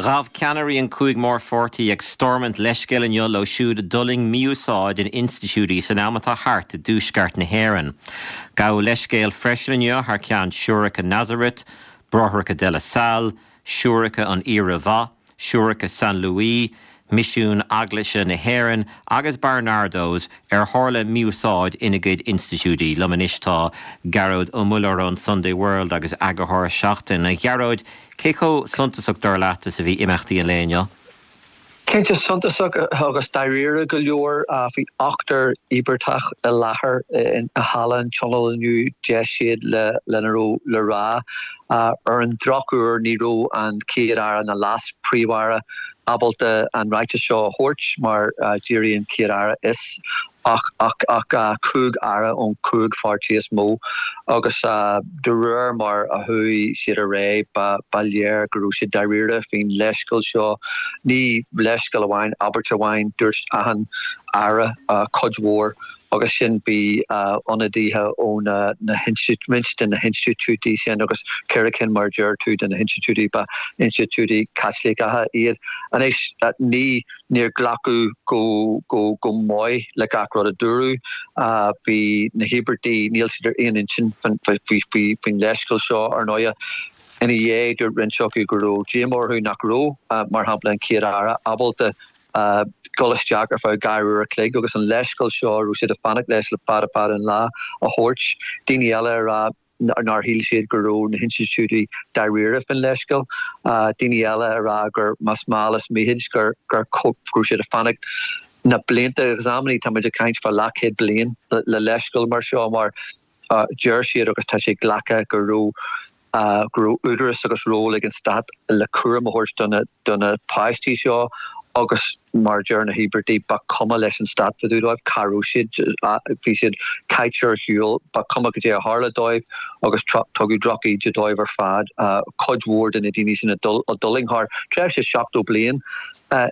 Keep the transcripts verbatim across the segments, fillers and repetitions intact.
Ghabh ceannairí an cúig mórpháirtí ag Stormont leithscéal inniu leo siúd a d'fhulaing mí-úsáid in institiúidí san am atá thart i dtuaisceart na hÉireann. Gabhadh leithscéal freisin inniu thar ceann Siúracha Nazareth, Bráithreacha de la Salle, Siúracha an Aoire Mhaith, Siúracha San Louis, Misiún Eaglaise na hÉireann agus Barnardos ar tharla mí-úsáid ina gcuid institiúidí. Liom anois tá Gearóid Ó Muilleoir ón Sunday World agus eagarthóir Seachtain. A Ghearóid, cé chomh suntasach dar leat is a bhí imeachtaí an lae inniu? Cinnte suntasach agus dáiríre go leor bhí ochtar íobartach i láthair i halla an Tionóil inniu d'éist siad le lena raibh le rá. Ar an drochuair ní raibh an Chéad Aire ná Leas-Phríomh-Aire ábalta an ráiteas seo a thabhairt mar d'éirigh an Chéad Aire as ach ach ach cúig aire ón cúig pháirtí is mó agus de réir mar a chuaigh siad ar aghaidh ba ba léir go raibh siad dáiríre faoin leithscéal seo ní leithscéal amháin abairt amháin dúirt achan aire cuid mhór agus sin bhí ionadaithe ó na na roinnt de na hinstitiúidí sin agus ceithre cinn mar deir tú de na hinstitiúidí ba institiúidí Caitliceacha iad. Anois ní níor glacadh go go go maith le gach rud a dúradh bhí na híobartaigh níl siad ar aon intinn faoi faoin leithscéal seo ar ndóigh. Ina dhiaidh dúirt roinnt acu go raibh díomá orthu nach raibh mar shampla an Chéad Aire ábalta dul isteach ar feadh dhá uair a chloig agus an leithscéal seo raibh siad ag fanacht leis le fada fada an lá a thabhairt. Daoine eile a rá nár shíl siad go raibh na hinstitiúidí dáiríre faoin leithscéal. Daoine eile a rá gur más mall is mithid gur gur go raibh siad ag fanacht na blianta agus amannaí tá muid ag caint fá leathchéad bliain le leithscéal mar seo mar deir siad agus tá sé glactha go raibh go raibh údarás agus ról ag an stát le cúram a thabhairt do na do na páistí seo agus mar deir na híobartaigh ba chuma leis an stát fá dtaobh dóibh cá raibh siad bhí siad caite ar shiúl ba chuma cad é a tharla dóibh agus tugadh drochíde dóibh ar fad cuid mhór de na daoine sin a d'fhulaing thar tréimhse seachtó bliain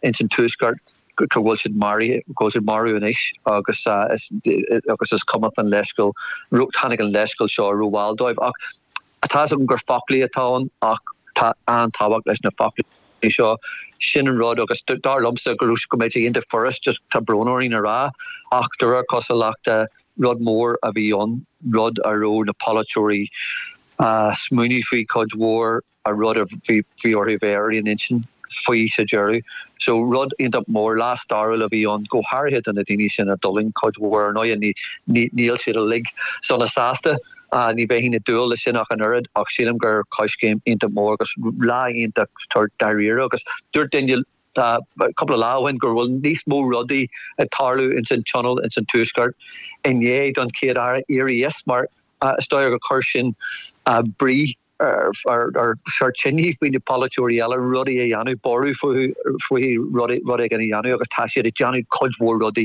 ins an tuaisceart go bhfuil siad maraithe go bhfuil siad marbh anois agus agus is cuma an leithscéal tháinig an leithscéal seo rómhall dóibh ach tá agam gur foclaí atá ann ach tá an-tábhacht leis na foclaí seo sin an rud agus dar liomsa go raibh go mbeidh sé iontach furast just tá brón orainn a rá ach de réir cosúlachta rud mór a bhí ann rud a raibh na polaiteoirí smaoineamh faoi cuid mhór a rud a bhí bhí orthu bheith ar aon intinn faoi sa deireadh. So rud iontach mór lá stairiúil a bhí ann go háirithe do na daoine sin a d'fhulaing cuid mhór ar ndóigh ní ní níl siad uilig sona sásta ní bheinn ag dúil leis sin ach an oiread ach sílim gur coiscéim iontach mór agus lá iontach dáiríre agus dúirt duine cúpla lá ó shin go bhfuil níos mó rudaí ag tarlú ins an tionól ins an tuaisceart inné don chéad aire éirí as mar is dóigh gur chuir sin brí ar ar ar tine faoi na polaiteoirí eile rudaí a dhéanamh borradh faoi faoi rud éigin a dhéanamh agus tá siad ag déanamh cuid mhór rudaí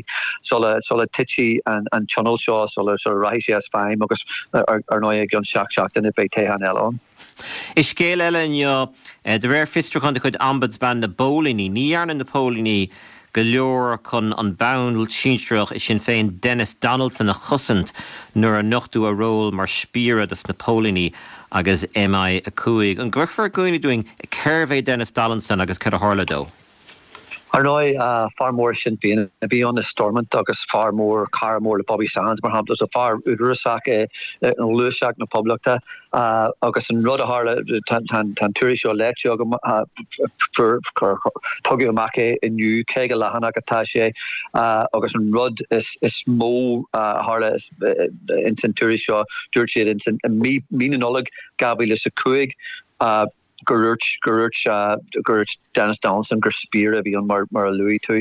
sula sula titfidh an an tionól seo sula sula rachaidh sé as feidhm agus ar ar ndóigh i gceann seacht seachtaine beidh toghchán eile ann. I scéal eile inniu de réir fiosrúchán de chuid Ombudsman na bPóilíní, ní dhearna na póilíní go leor chun an ball sinsearach i Sinn Féin Denis Donaldson a chosaint nuair a nochtadh a ról mar spiaire dos na póilíní agus MI a cúig. An gcuirfeá i gcuimhne dúinn cérbh é Denis Donaldson agus cad a tharla dó? Ar ndóigh fear mór Sinn Féin a bhí ann i Stormont agus fear mór cara mór le Bobby Sands mar shampla so fear údarásach i ngluaiseacht na Poblachta agus an rud a tharla tá an tuairisc seo léite agam tugadh amach é inniu caoga leathanach atá sé agus an rud is is mó a tharla ins an tuairisc seo dúirt siad ins an mí mí na Nollag dhá mhíle is a cúig gur dúirt gur dúirt gur dúirt Denis Donaldson gur spiaire a bhí ann mar mar a luaigh tú.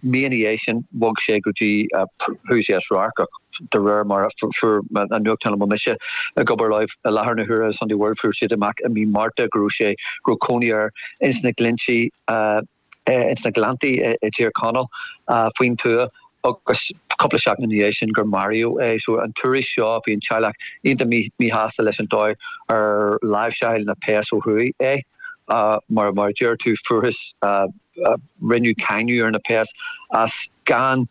Mí ina dhiaidh sin bhog sé go dtí chuaigh sé as radharc ach de réir mar a fuair an nuachtán a bhfuil mise ag obair leo i láthair na huaire Sunday World fuair siad amach i mí Márta go raibh sé go raibh cónaí air ins na Glinntí ins na Gleanntaí i dTír Chonaill faoin tuath agus cúpla seachtain ina dhiaidh sin gur maraíodh é. So an tuairisc seo bhí an teaghlach iontach míshásta leis an dóigh ar láimhseáil na péas ó thuaidh é. Mar mar a deir tú fuarthas rinneadh cáineadh ar na péas as gan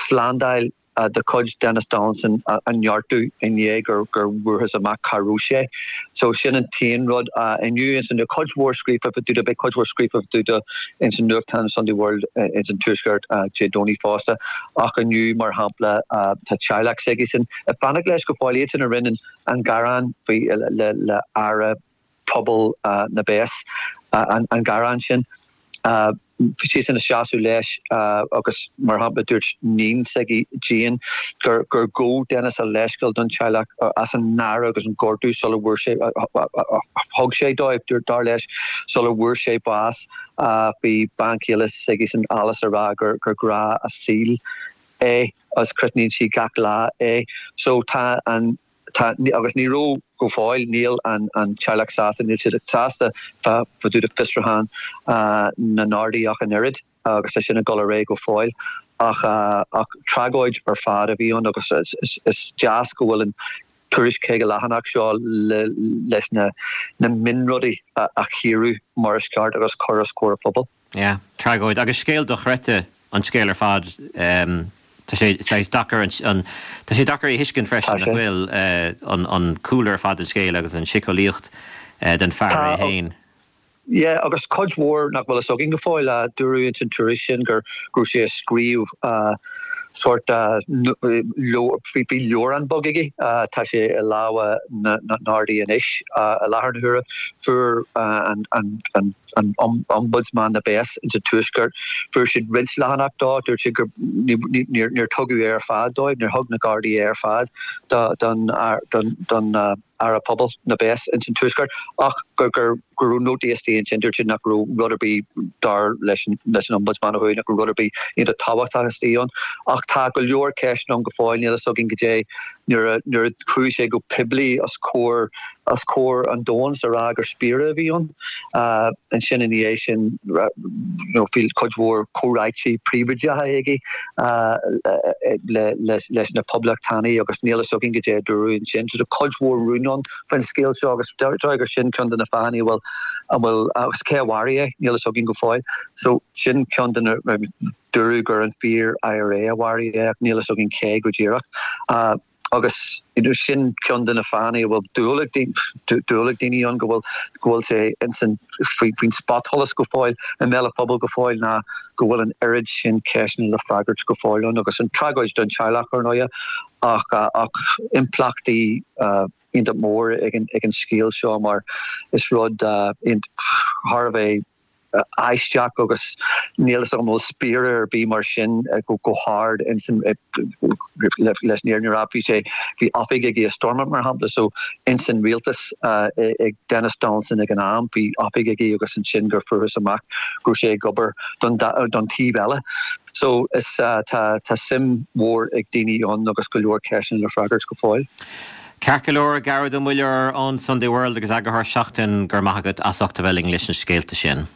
slándáil de chuid Denis Donaldson a neartú i ndiaidh gur gur bhfuarthas amach cá raibh sé. So sin an t-aon rud inniu ins an cuid mhór scríofa fá dtaobh de, beidh cuid mhór scríofa fá dtaobh de ins an nuachtán Sunday World ins an Tuaisceart Dé Domhnaigh fosta. Ach inniu mar shampla tá teaghlach s'aigesean ag fanacht leis go fóill, iadsan a rinne an gearán faoi le le Aire Pobal na bPéas an gearán sin. Bhí siadsan ag seasamh leis agus mar shampla dúirt níon s'aige Jane gur gur ghabh Denis a leithscéal don teaghlach as an náire agus an gortú sula bhfuair sé thug sé dóibh, dar leis, sula bhfuair sé bás. Bhí bean chéile s'aigesean Alice ag rá gur gur grá a saoil é agus crothnaíonn sí gach lá é. So tá an Tá, agus ní raibh go fóill, níl an teaghlach sásta, níl siad sásta fá dtaobh de fiosrúchán na nGardaí ach an oiread agus tá sin ag dul ar aghaidh go fóill. Ach ach tragóid ar fad a bhí ann agus is deas go bhfuil an tuairisc caoga leathanach seo leis na na mionrudaí a chíoradh mar is ceart agus cur os comhair an phobail. Yeah, tragóid agus scéal dochreidte an scéal ar fad. Tá sé saghas deacair an tá sé deacair a thuiscint freisin nach bhfuil an an cúlra ar fad den scéal agus an síceolaíocht den fear é féin. Yeah, agus cuid mhór nach bhfuil fhios againn go fóill. Dúradh ins an tuairisc sin gur go raibh sé ag scríobh sórt bhí leabhrán beag aige, tá sé i lámha na nGardaí anois i láthair na huaire. Fuair an an an an Ombudsman na bPéas ins an Tuaisceart, fuair siad roinnt leathanach dó, dúirt siad gur níor tugadh é ar fad dóibh, níor thug na Gardaí é ar fad don don Aire Pobal na bPéas ins an Tuaisceart ach gur go raibh nótaí istigh ansin, dúirt siad nach raibh rud ar bith dar leis an Ombudsman ó thuaidh, nach raibh rud ar bith iontach tábhachtach istigh ann. Ach tá go leor ceisteanna ann go fóill, níl fhios againn goidé nuair a nuair a chuaigh sé go poiblí os comhair os comhair an domhain is a rá gur spiaire a bhí ann. Ansin ina dhiaidh sin you know bhí cuid mhór comhráití príobháideacha aige leis na poblachtánaigh agus níl fhios againn goidé a dúradh ansin. So tá cuid mhór rún ann faoin scéal seo agus deirtear gur sin ceann de na fáthanna a bhfuil a bhfuil agus cé a mharaigh é níl fhios againn go fóill. So sin ceann de na dúradh gur an fíor I R A a mharaigh é ach níl fhios againn cé go díreach. Agus sin ceann de na fáthanna a bhfuil dúil ag dúil ag daoine ann go bhfuil go bhfuil sé insan faoin spotsholas go fóill i mbéal an phobail go fóill ná go bhfuil an oiread sin ceisteanna le freagairt go fóill ann agus an tragóid don teaghlach ar ndóigh ach ach impleachtaí iontach mór ag an ag an scéal seo mar is rud thar a bheith aisteach agus níl fhios agam an bhfuil spiaire ar bith mar sin go hard insan leis an fhírinne a rá bhí sé bhí oifig aige i Stormont mar shampla so insan rialtas ag Denis Donaldson ag an am bhí oifig aige agus ansin gur fuarthas amach go raibh sé ag obair don don taobh eile. So is tá tá suim mhór ag daoine ann agus go leor ceisteanna le freagairt go fóill. Ceart go leor, Gearóid Ó Muilleoir ón Sunday World agus eagarthóir Seachtain, go raibh maith agat as ucht a bheith linn leis na scéalta sin.